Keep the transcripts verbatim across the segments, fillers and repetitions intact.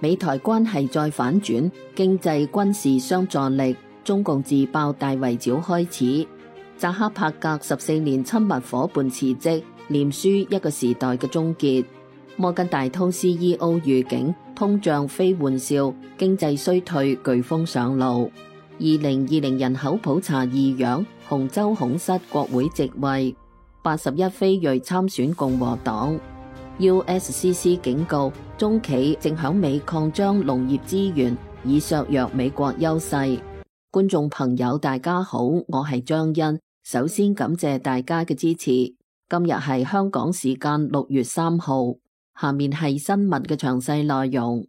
美台關係再反轉，經濟軍事相助力，中共自爆大圍剿開始。扎克伯格十四年親密夥伴辭職，臉書一個時代嘅終結。摩根大通 C E O 預警通脹非玩笑，經濟衰退颶風上路。二零二零年人口普查異樣，洪州恐失國會席位。八十一非裔參選共和黨。U S C C 警告中企正響美擴張農業資源，以削弱美國優勢。觀眾朋友大家好，我係張欣，首先感謝大家嘅支持。今日係香港時間六月三號，下面係新聞嘅詳細內容。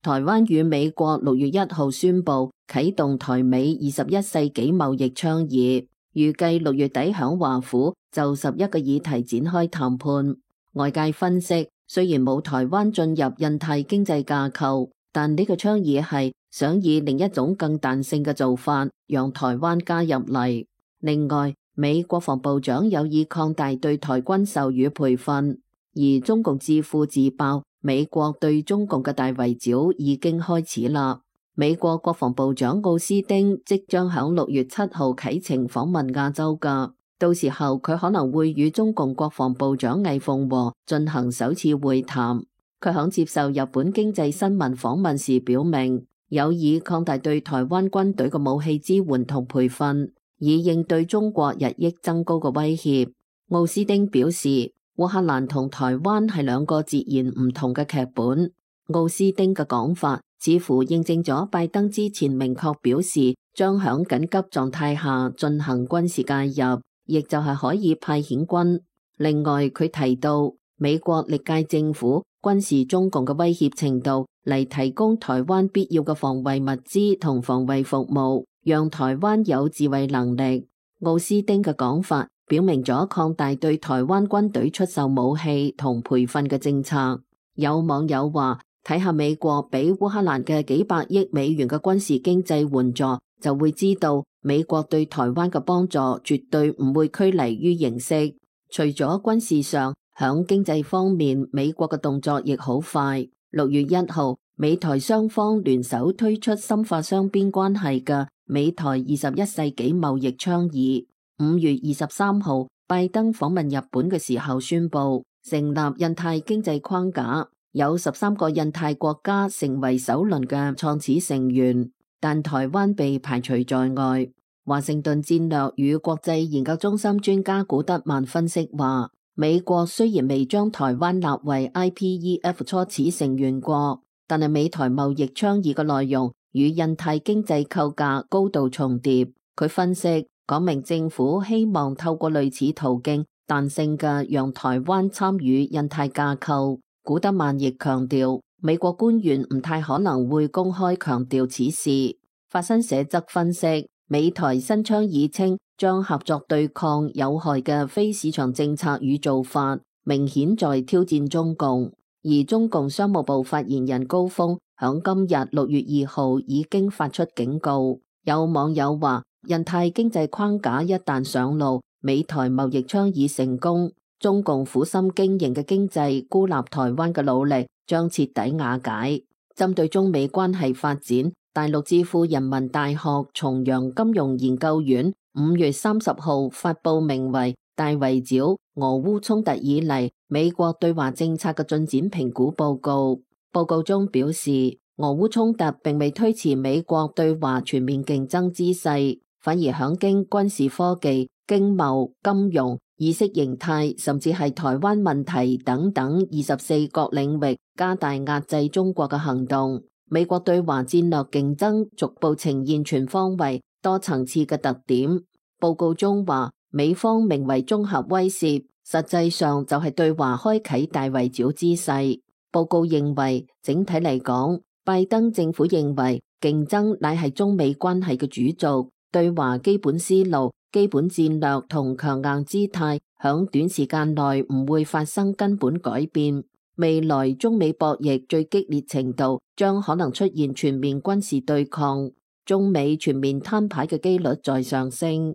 台灣與美國六月一號宣布啟動台美二十一世紀貿易倡議，預計六月底響華府就十一個議題展開談判。外界分析，雖然冇台灣進入印太經濟架構，但呢個倡議係想以另一種更彈性嘅做法，讓台灣加入嚟。另外，美國防部長有意擴大對台軍售與培訓，而中共智庫自爆美國對中共嘅大圍剿已經開始啦。美國國防部長奧斯汀即將響六月七號啟程訪問亞洲噶，到時候佢可能會與中共國防部長魏鳳和進行首次會談。佢響接受日本經濟新聞訪問時表明，有意擴大對台灣軍隊嘅武器支援同培訓，以應對中國日益增高嘅威脅。奧斯汀表示，烏克蘭同台灣係兩個截然唔同嘅劇本。奧斯汀嘅講法似乎認證咗拜登之前明確表示將響緊急狀態下進行軍事介入，亦就係可以派遣軍。另外，佢提到美國歷屆政府軍事中共嘅威脅程度嚟提供台灣必要嘅防衛物資同防衛服務，讓台灣有自衛能力。奧斯汀嘅講法表明咗擴大對台灣軍隊出售武器同培訓嘅政策。有網友話，睇下美國俾烏克蘭嘅幾百億美元嘅軍事經濟援助，就會知道美國對台灣嘅幫助絕對唔會拘泥於形式。除咗軍事上，響經濟方面，美國嘅動作亦好快。六月一號，美台雙方聯手推出深化雙邊關係嘅美台二十一世紀貿易倡議。五月二十三號，拜登訪問日本嘅時候宣布成立印太經濟框架。有十三個印太國家成為首輪嘅創始成員，但台灣被排除在外。華盛頓戰略與國際研究中心專家古德曼分析話，美國雖然未將台灣納為 I P E F 初始成員國，但係美台貿易倡議嘅內容與印太經濟構架高度重疊。佢分析講明政府希望透過類似途徑彈性嘅讓台灣參與印太架構。古德曼亦強調，美國官員唔太可能會公開強調此事。法新社則分析，美台新倡議稱將合作對抗有害嘅非市場政策與做法，明顯在挑戰中共。而中共商務部發言人高峰響今日六月二號已經發出警告。有網友話，印太經濟框架一旦上路，美台貿易倡議成功，中共苦心經營嘅經濟孤立台灣嘅努力將徹底瓦解。針對中美關係發展，大陸智庫人民大學重陽金融研究院五月三十號發佈名為《大圍剿俄烏衝突以嚟美國對華政策嘅進展評估報告》。報告中表示，俄烏衝突並未推遲美國對華全面競爭之勢，反而響經軍事科技、經貿、金融、意識形態甚至係台灣問題等等二十四個領域加大壓制中國嘅行動。美國對華戰略競爭逐步呈現全方位、多層次嘅特點。報告中話，美方名為綜合威懾，實際上就係對華開啟大圍剿之勢。報告認為，整體嚟講，拜登政府認為競爭乃係中美關係嘅主軸，對華基本思路、基本戰略同強硬姿態響短時間內唔會發生根本改變。未來中美博弈最激烈程度將可能出現全面軍事對抗，中美全面攤牌嘅機率在上升。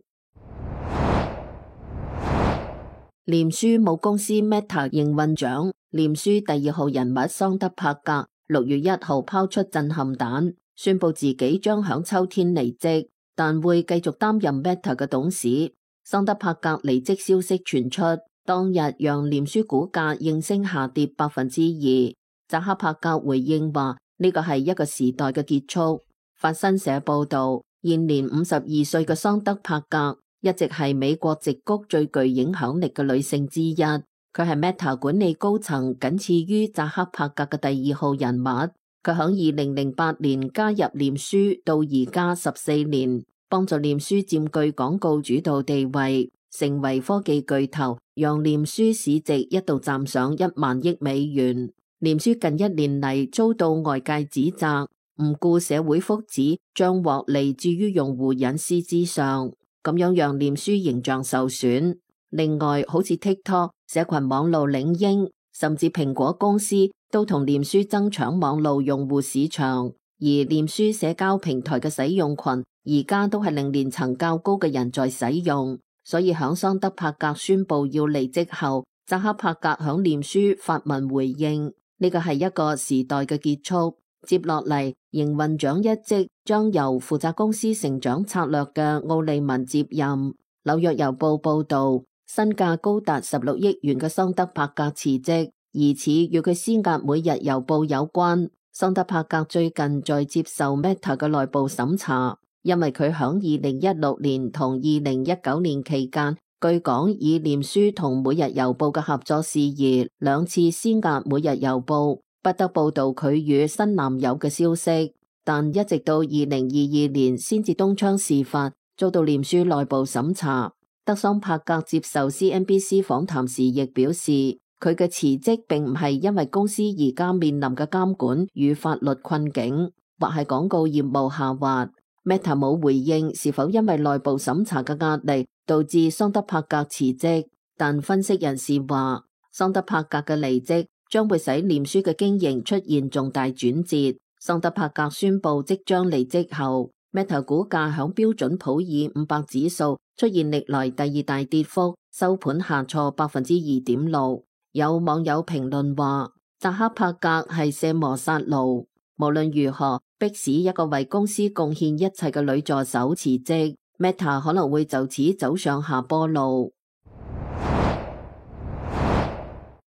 臉書母公司 Meta 營運長、臉書第二號人物桑德伯格六月一號拋出震撼彈，宣布自己將響秋天離職，但會繼續擔任 Meta 嘅董事。桑德伯格離職消息傳出，當日讓臉書股價應聲下跌百分之二。扎克伯格回應話：呢個係一個時代嘅結束。法新社報道，現年五十二歲嘅桑德伯格一直係美國矽谷最具影響力嘅女性之一。佢係 Meta 管理高層，僅次於扎克伯格嘅第二號人物。佢響二零零八年加入臉書，到而家十四年，幫助臉書佔據廣告主導地位，成為科技巨頭，讓臉書市值一度站上一萬億美元。臉書近一年嚟遭到外界指責，唔顧社會福祉，將獲利置於用戶隱私之上，咁樣讓臉書形象受損。另外，好似 TikTok、社群網路領英，甚至蘋果公司都同臉書爭搶網路用戶市場，而臉書社交平台嘅使用群而家都係令年層較高嘅人在使用。所以響桑德伯格宣布要離職後，扎克伯格響臉書發文回應。呢個係一個時代嘅結束，接落嚟營運長一職將由負責公司成長策略嘅奧利文接任。紐約郵報報道，身價高達十六億元嘅桑德伯格辭職，疑似與佢施壓每日郵報有關。桑德伯格最近在接受 Meta 嘅內部審查，因為佢響二零一六年同二零一九年期間，據講以臉書同每日郵報嘅合作事宜兩次施壓每日郵報，不得報道佢與新男友嘅消息，但一直到二零二二年先至東窗事發，遭到臉書內部審查。德桑伯格接受 C N B C 訪談時亦表示，佢嘅辭職並唔係因為公司而家面臨嘅監管與法律困境，或係廣告業務下滑。Meta 冇回應是否因為內部審查嘅壓力導致桑德伯格辭職，但分析人士話，桑德伯格嘅離職將會使臉書嘅經營出現重大轉折。桑德伯格宣布即將離職後，Meta 股價響標準普爾五百指數出現歷來第二大跌幅，收盤下挫百分之二點六。有網友評論話，扎克伯格係卸磨殺驢，無論如何，迫使一個為公司貢獻一切嘅女助手辭職， Meta 可能會就此走上下坡路。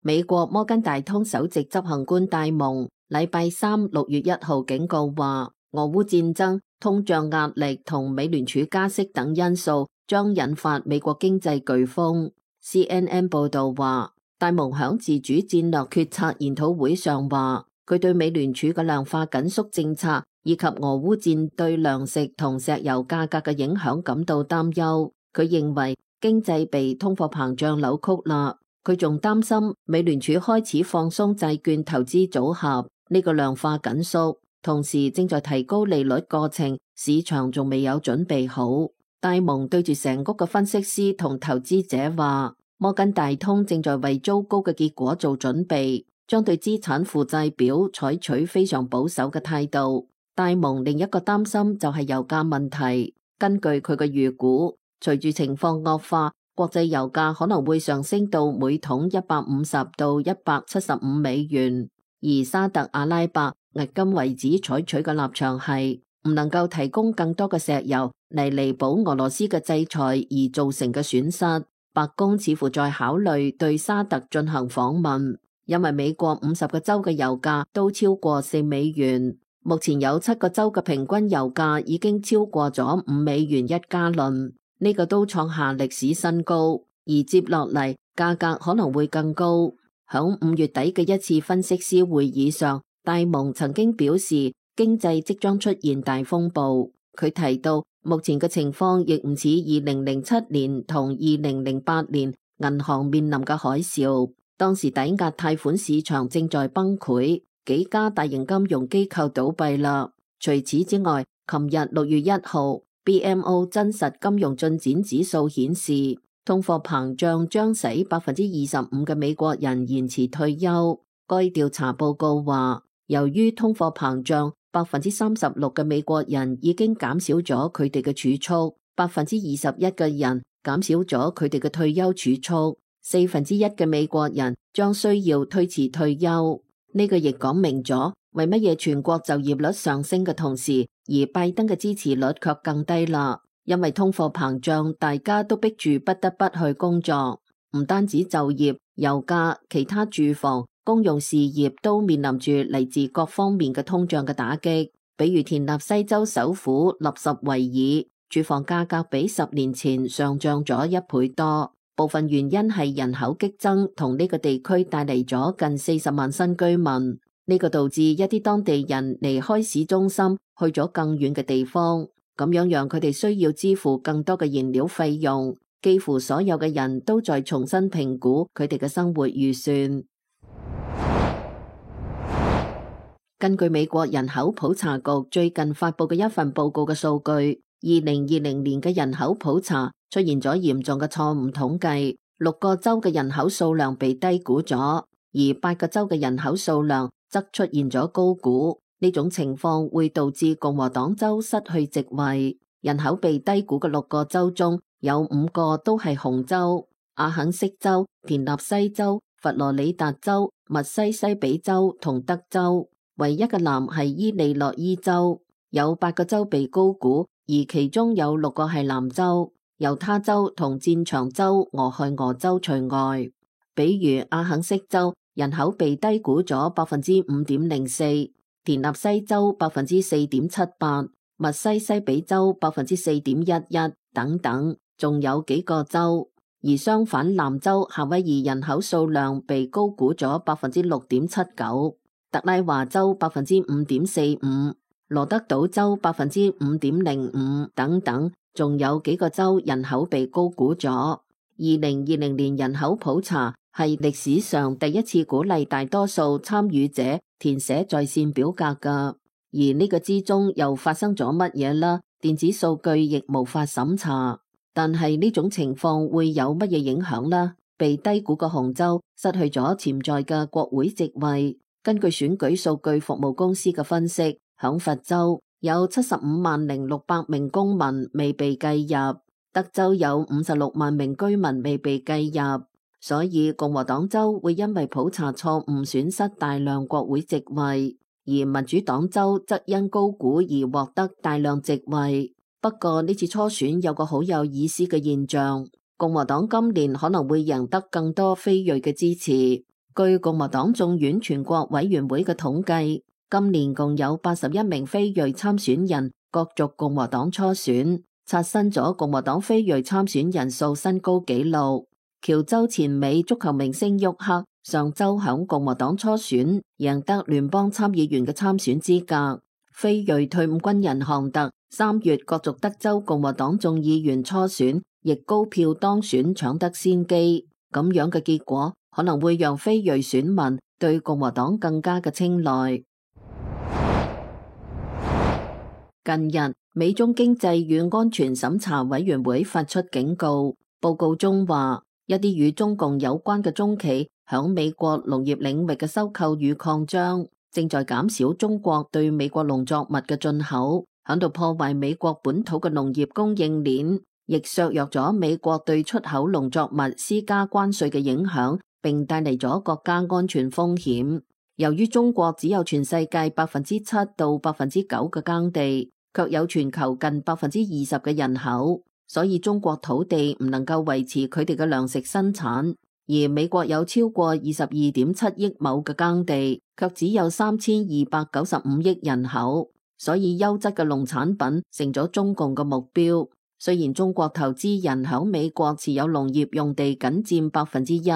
美國摩根大通首席執行官戴蒙禮拜三六月一號警告話，俄烏戰爭、通脹壓力同美聯儲加息等因素將引發美國經濟颶風。C N N 報道話，戴蒙響自主戰略決策研討會上話，佢對美聯儲嘅量化緊縮政策以及俄烏戰對糧食同石油價格嘅影響感到擔憂。佢認為經濟被通貨膨脹扭曲啦。佢仲擔心美聯儲開始放鬆債券投資組合呢個量化緊縮，同時正在提高利率過程，市場仲未有準備好。戴蒙對住成屋嘅分析師同投資者話，摩根大通正在為糟糕嘅結果做準備，將對資產負債表採取非常保守嘅態度。戴蒙另一個擔心就係油價問題。根據佢嘅預估，隨住情況惡化，國際油價可能會上升到每桶一百五十到一百七十五美元。而沙特阿拉伯迄今為止採取嘅立場係唔能夠提供更多嘅石油嚟彌補俄羅斯嘅制裁而造成嘅損失。白宮似乎在考慮對沙特進行訪問，因為美國五十個州嘅油價都超過四美元。目前有七個州嘅平均油價已經超過咗五美元一加侖。呢個都創下歷史新高，而接落嚟價格可能會更高。響五月底嘅一次分析師會議上，戴蒙曾經表示經濟即將出現大風暴。佢提到目前嘅情況亦唔似二零零七年同二零零八年銀行面臨嘅海嘯，當時抵押貸款市場正在崩潰，幾家大型金融機構倒閉啦。除此之外，琴日六月一號B M O 真實金融進展指數顯示，通貨膨脹將使百分之二十五嘅美國人延遲退休。該調查報告話，由於通貨膨脹，百分之三十六嘅美國人已經減少咗佢哋嘅儲蓄，百分之二十一嘅人減少咗佢哋嘅退休儲蓄。四分之一嘅美國人將需要推遲退休。呢個亦講明咗為乜嘢全國就業率上升嘅同時，而拜登嘅支持率卻更低啦。因為通貨膨脹，大家都逼住不得不去工作，唔單止就業、油價、其他住房、公用事業都面臨住嚟自各方面嘅通脹嘅打擊。比如田納西州首府納什維爾，住房價格比十年前上漲咗一倍多。部分原因係人口激增同呢個地區帶嚟咗近四十萬新居民，呢個導致一啲當地人離開市中心去咗更遠嘅地方，咁樣讓佢哋需要支付更多嘅燃料費用。幾乎所有嘅人都在重新評估佢哋嘅生活預算。根據美國人口普查局最近發佈嘅一份報告嘅數據，二零二零年嘅人口普查出現咗嚴重嘅錯誤統計，六個州嘅人口數量被低估咗，而八個州嘅人口數量則出現咗高估。呢種情況會導致共和黨州失去席位。人口被低估嘅六個州中有五個都係紅州：阿肯色州、田納西州、佛羅里達州、密西西比州同德州。唯一嘅藍係伊利諾伊州。有八個州被高估，而其中有六個係藍州。猶他州同戰場州、俄亥俄州除外。比如阿肯色州人口被低估咗百分之五點零四，田納西州百分之四點七八，密西西比州百分之四點一一等等，仲有幾個州。而相反，南州夏威夷人口數量被高估咗百分之六點七九，特拉華州百分之五點四五，羅德島州百分之五點零五等等。仲有幾個州人口被高估咗。二零二零年人口普查係歷史上第一次鼓勵大多數參與者填寫在線表格㗎，而呢個之中又發生咗乜嘢啦？電子數據亦無法審查。但係呢種情況會有乜嘢影響呢？被低估嘅紅州失去咗潛在嘅國會席位。根據選舉數據服務公司嘅分析，響佛州有七十五萬零六百名公民未被計入，德州有五十六萬名居民未被計入，所以共和黨州會因為普查錯誤損失大量國會席位，而民主黨州則因高估而獲得大量席位。不過呢次初選有個好有意思嘅現象，共和黨今年可能會贏得更多非裔嘅支持。據共和黨眾院全國委員會嘅統計，今年共有八十一名非裔參選人角逐共和黨初選，刷新咗共和黨非裔參選人數新高紀錄。喬州前美足球明星沃克上周響共和黨初選贏得聯邦參議員嘅參選資格。非裔退伍軍人韓特三月角逐德州共和黨眾議員初選，亦高票當選，搶得先機。咁樣嘅結果可能會讓非裔選民對共和黨更加嘅青睞。近日，美中經濟與安全審查委員會發出警告，報告中話，一啲與中共有關嘅中企響美國農業領域嘅收購與擴張，正在減少中國對美國農作物嘅進口，響度破壞美國本土嘅農業供應鏈，亦削弱咗美國對出口農作物施加關稅嘅影響，並帶嚟咗國家安全風險。由於中國只有全世界百分之七到百分之九嘅耕地，卻有全球近百分之二十嘅人口，所以中國土地唔能夠維持佢哋嘅糧食生產。而美國有超過二十二點七億畝嘅耕地，卻只有三千二百九十五億人口，所以優質嘅農產品成咗中共嘅目標。雖然中國投資人響美國持有農業用地僅佔百分之一，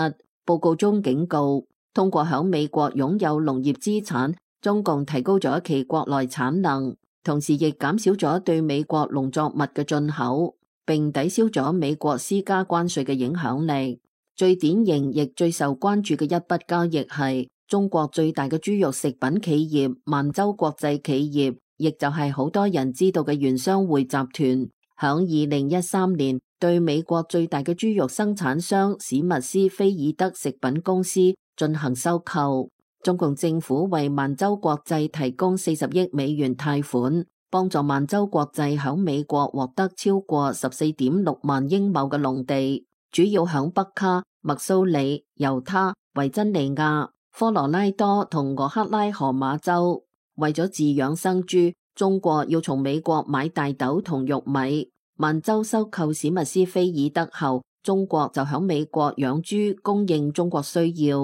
報告中警告，通過響美國擁有農業資產，中共提高咗其國內產能，同時亦減少咗對美國農作物嘅進口，並抵消咗美國施加關稅嘅影響力。最典型亦最受關注嘅一筆交易係中國最大嘅豬肉食品企業萬洲國際企業，亦就係好多人知道嘅原商會集團，響二零一三年對美國最大嘅豬肉生產商史密斯菲爾德食品公司進行收購。中共政府為萬洲國際提供四十億美元貸款，幫助萬洲國際響美國獲得超過十四點六萬英畝嘅農地，主要響北卡、密蘇里、猶他、維珍尼亞、科羅拉多同俄克拉荷馬州。為咗飼養生豬，中國要從美國買大豆同玉米。萬州收購史密斯菲爾德後，中國就響美國養豬，供應中國需要，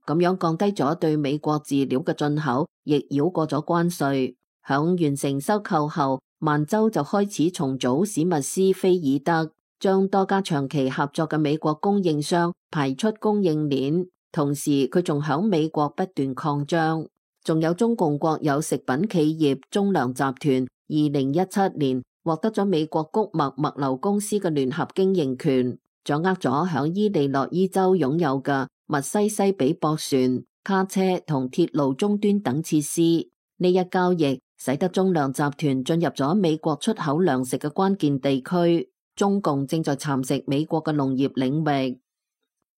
咁樣降低咗對美國飼料嘅進口，亦繞過咗關稅。響完成收購後，萬州就開始重組史密斯菲爾德，將多家長期合作嘅美國供應商排出供應鏈，同時佢仲響美國不斷擴張。仲有中共國有食品企業中糧集團，二零一七年獲得咗美國谷物物流公司嘅聯合經營權，掌握咗響伊利諾伊州擁有嘅密西西比駁船、卡車同鐵路終端等設施。呢一交易使得中糧集團進入咗美國出口糧食嘅關鍵地區。中共正在蠶食美國嘅農業領域。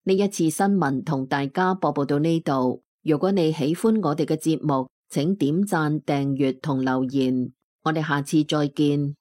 呢一次新聞同大家播報到呢度。如果你喜歡我哋嘅節目，請點讚、訂閱同留言。我哋下次再見。